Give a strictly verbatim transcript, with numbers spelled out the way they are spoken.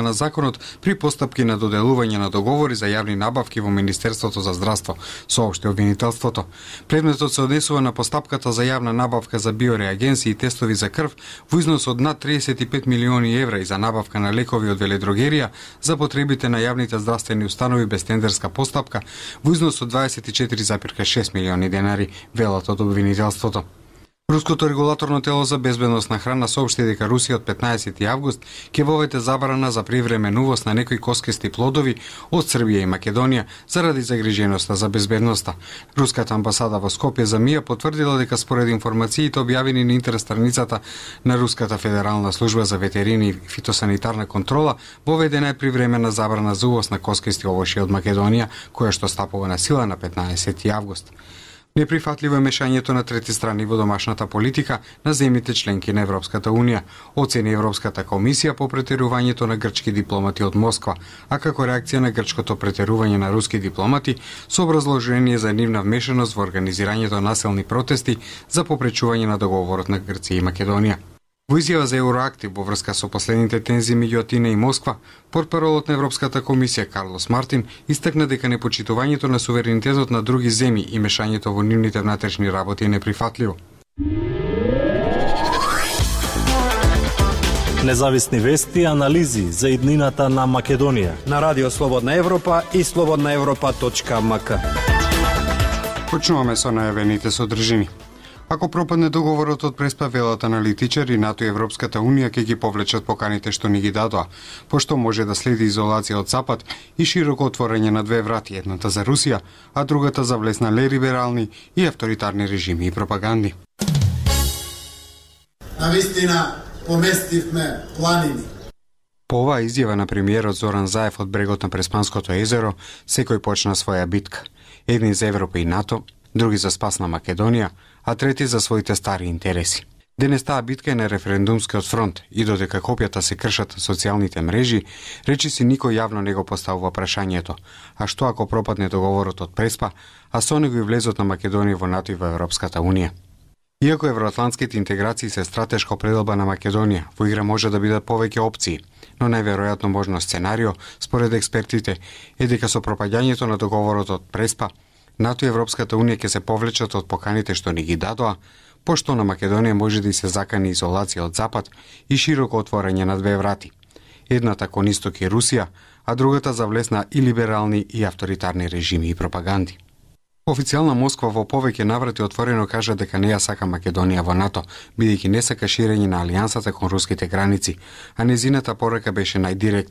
на законот при постапки на доделување на договори за јавни набавки во Министерството за здравство, соопшти обвинителството. Предметот се однесува на постапката за јавна набавка за биореагенси и тестови за крв во износ од над триесет и пет милиони евра и за набавка на лекови од веледрогерија за потребите на јавните здравствени установи без тендерска постапка во износ од дваесет и четири зарез шест милиони денари, велат од обвинителството. Руското регулаторно тело за безбедност на храна соопшти дека Русија од петнаесети август ќе воведе забрана за привременувост на некои коскести плодови од Србија и Македонија заради загриженоста за безбедноста. Руската амбасада во Скопје за МИА потврдила дека според информациите објавени на интернет страницата на Руската федерална служба за ветерини и фитосанитарна контрола, воведена е привремена забрана за увоз на коскести овошје од Македонија, која што стапува на сила на петнаесети август. Неприфатливо е мешањето на трети страни во домашната политика на земјите членки на Европската Унија, оцени Европската комисија по претерувањето на грчки дипломати од Москва, а како реакција на грчкото претерување на руски дипломати со образложение за нивна вмешаност во организирањето насилни протести за попречување на договорот на Грција и Македонија. Во изјава за Евроактив во врска со последните тензии меѓу Атина и Москва, портпаролот на Европската комисија Карлос Мартин истакна дека непочитувањето на суверенитетот на други земји и мешањето во нивните внатрешни работи е неприфатливо. Независни вести и анализи за иднината на Македонија на Радио Слободна Европа и слободна европа точка ем ка. Почнуваме со најавените содржини. Ако пропадне договорот од Преспа, велат аналитичари, НАТО и Европската Унија ќе ги повлечат поканите што ни ги дадоа, пошто може да следи изолација од Запад и широко отворање на две врати, едната за Русија, а другата за влез на либерални и авторитарни режими и пропаганди. Навистина поместивме планини. По оваа изјава на премиерот Зоран Заев од брегот на Преспанското езеро, секој почна своја битка. Едни за Европа и НАТО, други за спас на Македонија, а трети за своите стари интереси. Денес таа битка е на референдумскиот фронт и додека копјата се кршат на социјалните мрежи, речи си никој јавно не го поставува прашањето, а што ако пропадне договорот од Преспа, а со него и влезот на Македонија во НАТО и во Европската Унија. Иако евроатлантските интеграции се стратешка определба на Македонија, во игра може да бидат повеќе опции, но најверојатно можно сценарио, според експертите, е дека со пропаѓањето на договорот од Преспа, НАТО и Европската Унија ќе се повлечат од поканите што ни ги дадоа, пошто на Македонија може да и се закани изолација од Запад и широко отворање на две врати. Едната кон Исток и Русија, а другата за влез на и либерални и авторитарни режими и пропаганди. Официјална Москва во повеќе наврати отворено кажа дека не ја сака Македонија во НАТО, бидејќи не сака ширење на алијансата кон руските граници, а незината порака беше најдиректна